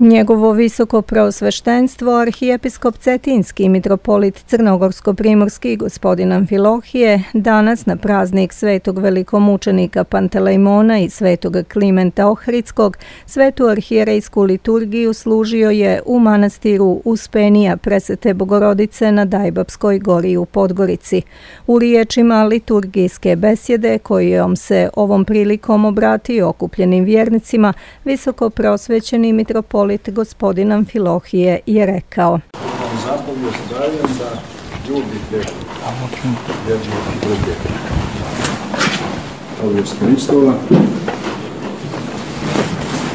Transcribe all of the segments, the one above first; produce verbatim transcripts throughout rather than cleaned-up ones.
Njegovo visoko preosveštenstvo, arhijepiskop Cetinski i mitropolit Crnogorsko-primorski gospodin Amfilohije, danas na praznik svetog velikomučenika Pantelejmona i svetog Klimenta Ohridskog, svetu arhijerejsku liturgiju služio je u manastiru Uspenija Presvete Bogorodice na Dajbapskoj gori u Podgorici. U riječima liturgijske besjede, kojom se ovom prilikom obratio okupljenim vjernicima, visoko preosvećeni mitropolit gospodin Amfilohije je rekao: Zapovijest dajem da ljubite jedni druge. Povijest Hristova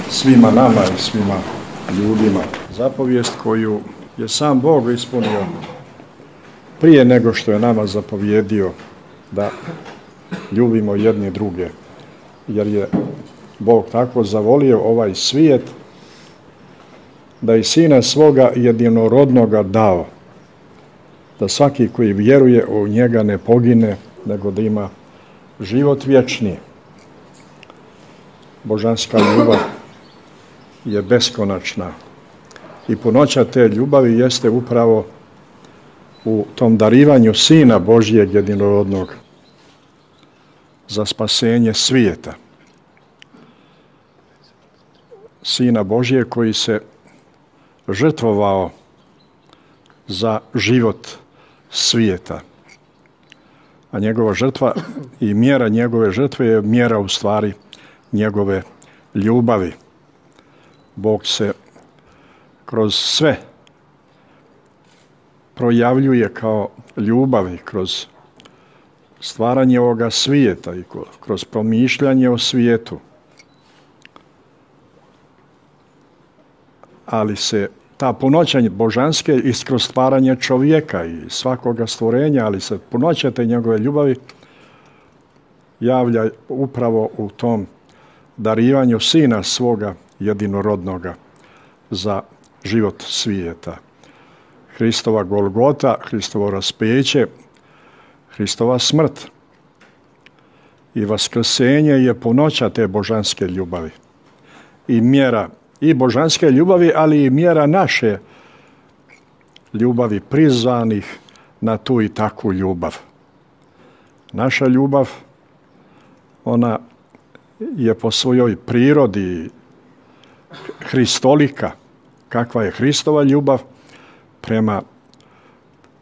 svima nama i svima ljudima. Zapovijest koju je sam Bog ispunio prije nego što je nama zapovjedio da ljubimo jedni druge. Jer je Bog tako zavolio ovaj svijet da i Sina svoga jedinorodnoga dao, da svaki koji vjeruje u njega ne pogine, nego da ima život vječni. Božanska ljubav je beskonačna i punoća te ljubavi jeste upravo u tom darivanju Sina Božjeg jedinorodnog za spasenje svijeta. Sina Božjeg koji se žrtvovao za život svijeta. A njegova žrtva i mjera njegove žrtve je mjera u stvari njegove ljubavi. Bog se kroz sve projavljuje kao ljubavi, kroz stvaranje ovoga svijeta i kroz promišljanje o svijetu. Ali se ta punoća božanske i kroz stvaranje čovjeka i svakoga stvorenja, ali se punoća te njegove ljubavi javlja upravo u tom darivanju Sina svoga jedinorodnoga za život svijeta. Hristova Golgota, Hristovo raspeće, Hristova smrt i vaskrsenje je punoća te božanske ljubavi i mjera i božanske ljubavi, ali i mjera naše ljubavi, prizvanih na tu i takvu ljubav. Naša ljubav, ona je po svojoj prirodi hristolika, kakva je Hristova ljubav prema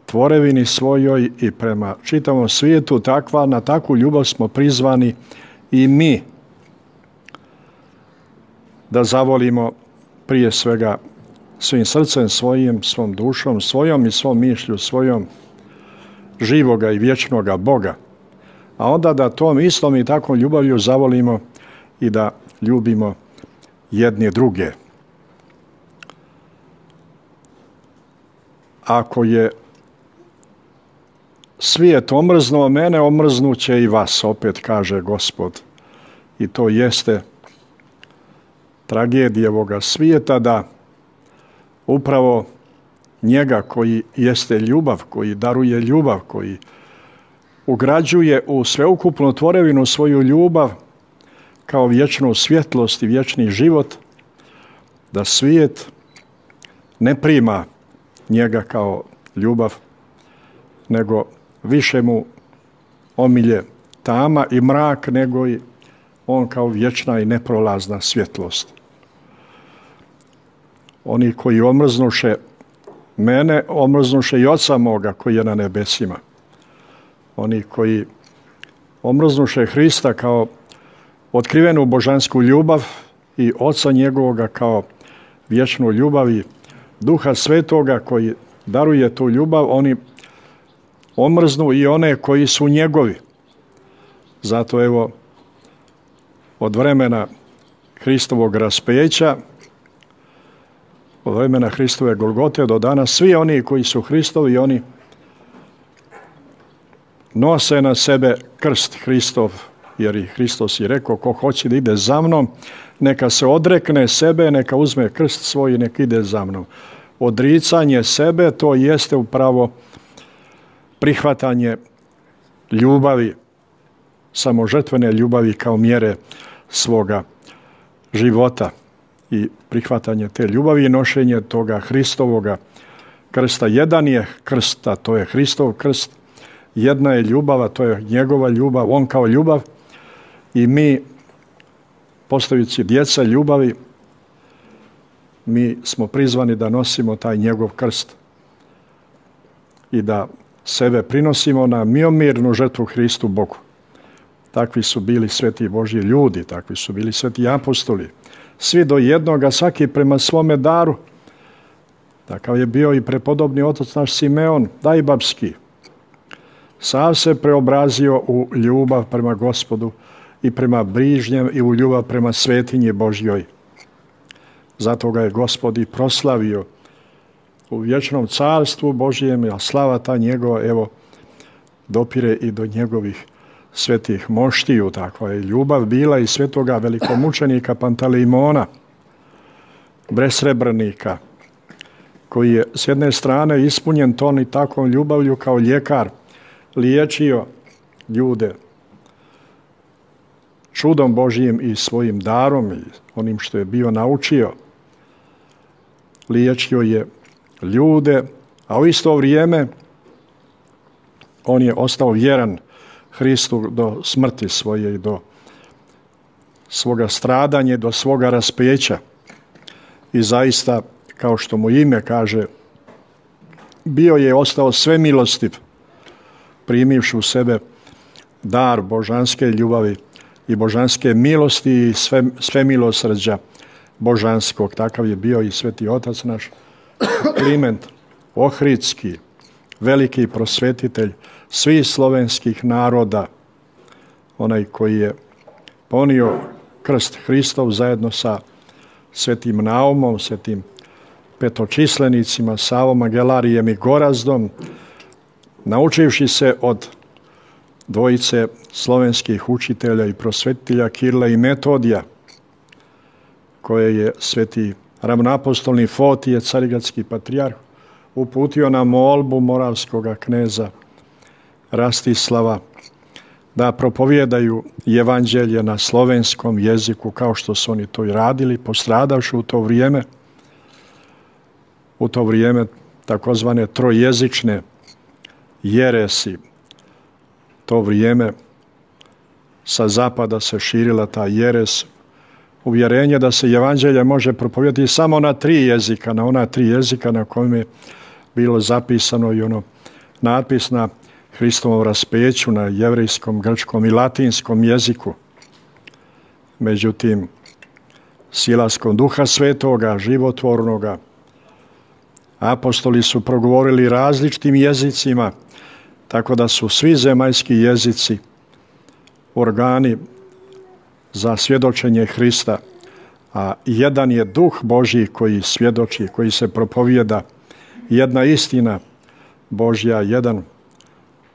tvorevini svojoj i prema čitavom svijetu, takva, na takvu ljubav smo prizvani i mi, da zavolimo prije svega svim srcem svojim, svom dušom svojom i svom mišlju svojom živoga i vječnoga Boga. A onda da tom istom i takvom ljubavlju zavolimo i da ljubimo jedni druge. Ako je svijet omrznuo mene, omrznuće i vas, opet kaže Gospod. I to jeste tragedija ovoga svijeta, da upravo njega koji jeste ljubav, koji daruje ljubav, koji ugrađuje u sveukupnu tvorevinu svoju ljubav kao vječnu svjetlost i vječni život, da svijet ne prima njega kao ljubav, nego više mu omilje tama i mrak, nego i on kao vječna i neprolazna svjetlost. Oni koji omrznuše mene, omrznuše i Oca moga koji je na nebesima. Oni koji omrznuše Hrista kao otkrivenu božansku ljubav i Oca njegovoga kao vječnu ljubav i Duha Svetoga koji daruje tu ljubav, oni omrznu i one koji su njegovi. Zato evo, od vremena Hristovog raspeća, od vremena Hristove Golgote do danas, svi oni koji su Hristovi, oni nose na sebe krst Hristov, jer i Hristos je rekao, ko hoće da ide za mnom, neka se odrekne sebe, neka uzme krst svoj i neka ide za mnom. Odricanje sebe, to jeste upravo prihvatanje ljubavi, samožrtvene ljubavi kao mjere svoga života. i prihvatanje te ljubavi i nošenje toga Hristovoga krsta. Jedan je krst, a to je Hristov krst. Jedna je ljubav, a to je njegova ljubav, on kao ljubav. I mi, postajući djeca ljubavi, mi smo prizvani da nosimo taj njegov krst i da sebe prinosimo na miomirnu žrtvu Hristu Bogu. Takvi su bili sveti Božji ljudi, takvi su bili sveti apostoli. Svi do jednoga, svaki prema svome daru. Takav je bio i prepodobni otac naš Simeon Dajbabski. Sav se preobrazio u ljubav prema Gospodu i prema bližnjem i u ljubav prema svetinji Božjoj. Zato ga je Gospod i proslavio u vječnom carstvu Božjem, a slava ta njegova, evo, dopire i do njegovih svetih moštiju. Takva je ljubav bila i svetoga velikomučenika Pantelejmona, besrebrnika, koji je s jedne strane ispunjen ton i takvom ljubavlju kao ljekar, liječio ljude čudom Božjim i svojim darom i onim što je bio naučio. Liječio je ljude, a u isto vrijeme on je ostao vjeran Hristu do smrti svoje i do svoga stradanja, do svoga raspeća. I zaista, kao što mu ime kaže, bio je ostao sve milostiv, primivši u sebe dar božanske ljubavi i božanske milosti i sve, sve milosrđa božanskog. Takav je bio i sveti otac naš Kliment Ohridski, veliki prosvetitelj svih slovenskih naroda, onaj koji je ponio krst Hristov zajedno sa svetim Naumom, svetim petočislenicima, Savom Agelarijem i Gorazdom, naučivši se od dvojice slovenskih učitelja i prosvetitelja Kirila i Metodija, koje je sveti ravnoapostolni Fotije, carigradski patrijarh, uputio na molbu moravskoga kneza Rastislava da propovijedaju evanđelje na slovenskom jeziku, kao što su oni to i radili, postradavši u to vrijeme, u to vrijeme takozvane trojezične jeresi. To vrijeme sa zapada se širila ta jeres, uvjerenje da se evanđelje može propovijedati samo na tri jezika, na ona tri jezika na kojem je bilo zapisano i ono natpis na Hristovom raspeću, na jevrejskom, grčkom i latinskom jeziku. Međutim, silaskom Duha Svetoga, životvornoga, apostoli su progovorili različitim jezicima, tako da su svi zemaljski jezici organi za svjedočenje Hrista, a jedan je Duh Božji koji svjedoči, koji se propovijeda, jedna istina Božja, jedan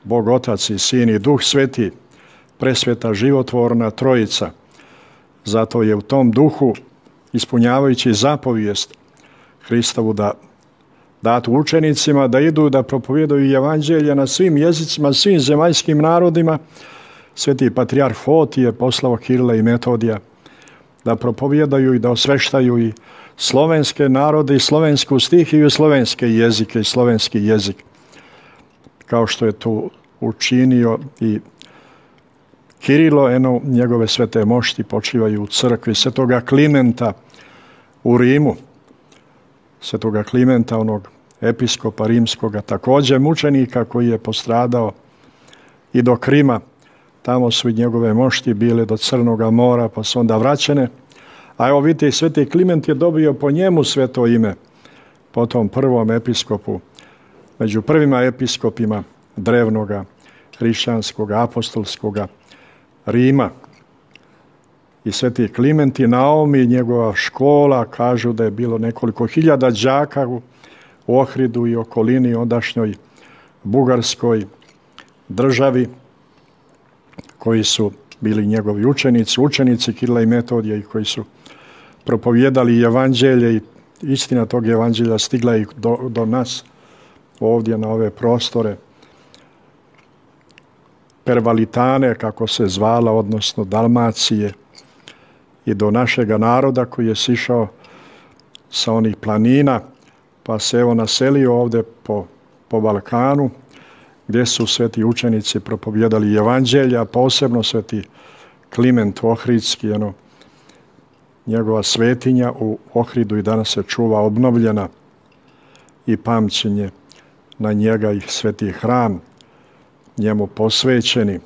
Bog Otac i Sin i Duh Sveti, presveta životvorna trojica. Zato je u tom duhu, ispunjavajući zapovijest Hristovu da datu učenicima da idu da propovijedaju evanđelje na svim jezicima, svim zemaljskim narodima, sveti patrijarh Fotije poslao Kirila i Metodija da propovijedaju i da osveštaju i slovenske narode i slovensku stihiju i slovenske jezike i slovenski jezik, kao što je to učinio i Kirilo. Eno, njegove svete mošti počivaju u crkvi svetoga Klimenta u Rimu, svetoga Klimenta, onog episkopa rimskoga, također mučenika koji je postradao i do Krima. Tamo su i njegove mošti bile do Crnoga mora, pa su onda vraćene. A evo vidite, i sveti Kliment je dobio po njemu sveto ime, po tom prvom episkopu, među prvima episkopima drevnoga, hrišćanskoga, apostolskoga Rima. I sveti Kliment i Naum i njegova škola kažu da je bilo nekoliko hiljada đaka u Ohridu i okolini, ondašnjoj bugarskoj državi, koji su bili njegovi učenici, učenici Kirila i Metodija i koji su propovijedali evanđelje i istina tog evanđelja stigla i do, do nas ovdje na ove prostore Pervalitane, kako se zvala, odnosno Dalmacije, i do našega naroda koji je sišao sa onih planina, pa se evo naselio ovdje po, po Balkanu, gdje su sveti učenici propovjedali evanđelja, posebno sveti Kliment Ohridski, ono, njegova svetinja u Ohridu i danas se čuva obnovljena i pamćenje na njega i sveti hram njemu posvećeni.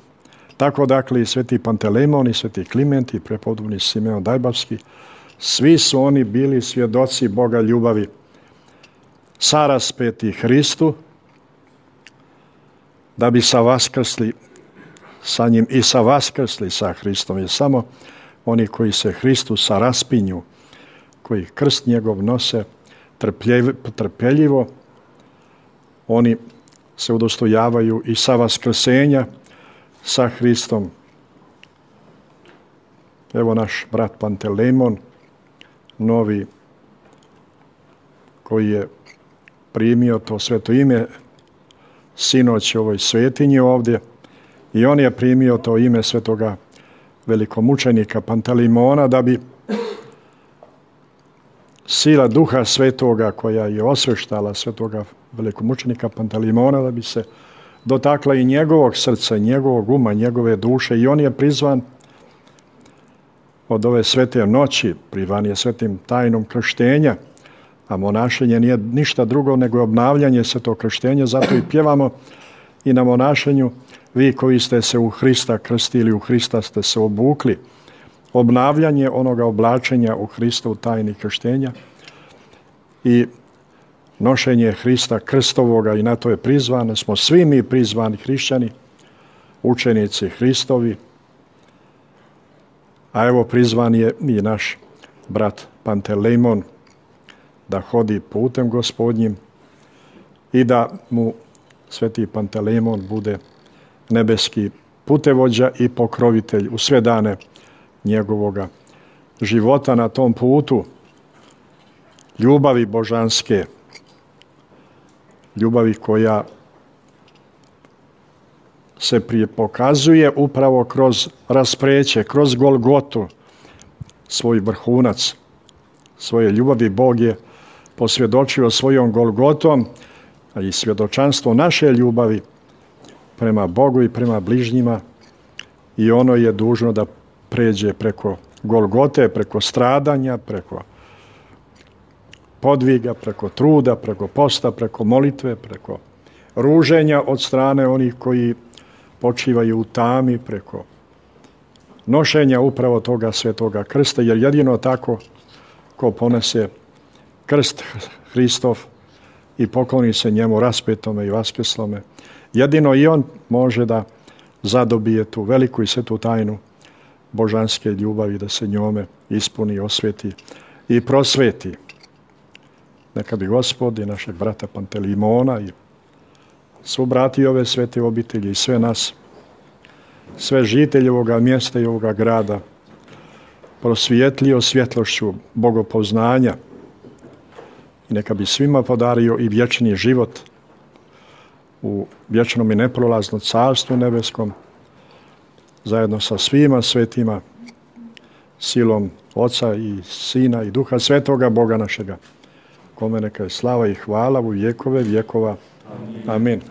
Tako dakle i sveti Pantelejmon i sveti Kliment i prepodobni Simeon Dajbavski, svi su oni bili svjedoci Boga ljubavi, saraspeti Hristu, da bi sa vaskrsli sa njim i sa vaskrsli sa Hristom. Jer samo oni koji se Hristu saraspinju, koji krst njegov nose trpeljivo, oni se udostojavaju i sa vaskrsenja sa Hristom. Evo naš brat Pantelejmon, novi, koji je primio to sveto ime sinoć ovoj svetinji ovdje, i on je primio to ime svetoga velikomučenika Pantelejmona da bi sila Duha Svetoga koja je osveštala svetoga velikomučenika Pantelejmona da bi se dotakla i njegovog srca, njegovog uma, njegove duše, i on je prizvan od ove svete noći, prizvan je svetim tajnom krštenja, a monašenje nije ništa drugo nego obnavljanje svetog krštenja, zato i pjevamo i na monašenju: vi koji ste se u Hrista krstili, u Hrista ste se obukli. Obnavljanje onoga oblačenja u Hristu, tajni krštenja i nošenje Hrista krstovoga, i na to je prizvano. Smo svi mi prizvani hrišćani, učenici Hristovi, a evo prizvan je i naš brat Pantelejmon da hodi putem Gospodnjim i da mu sveti Pantelejmon bude nebeski putevođa i pokrovitelj u sve dane njegovoga života na tom putu ljubavi božanske, ljubavi koja se prije pokazuje upravo kroz raspreće, kroz Golgotu, svoj vrhunac svoje ljubavi. Bog je posvjedočio svojom Golgotom, a i svjedočanstvo naše ljubavi prema Bogu i prema bližnjima, i ono je dužno da pređe preko Golgote, preko stradanja, preko podviga, preko truda, preko posta, preko molitve, preko ruženja od strane onih koji počivaju u tami, preko nošenja upravo toga svetoga krsta, jer jedino tako ko ponese krst Hristov i pokloni se njemu raspetome i vaskrslome, jedino i on može da zadobije tu veliku i svetu tajnu božanske ljubavi, da se njome ispuni, osveti i prosveti. Neka bi Gospod i našeg brata Pantelejmona i svu brati ove svete obitelji i sve nas, sve žitelje ovoga mjesta i ovoga grada prosvijetlio svjetlošću bogopoznanja, i neka bi svima podario i vječni život u vječnom i neprolaznom carstvu nebeskom, zajedno sa svima svetima, silom Oca i Sina i Duha Svetoga, Boga našega, kome neka je slava i hvala u vjekove vjekova. Amin.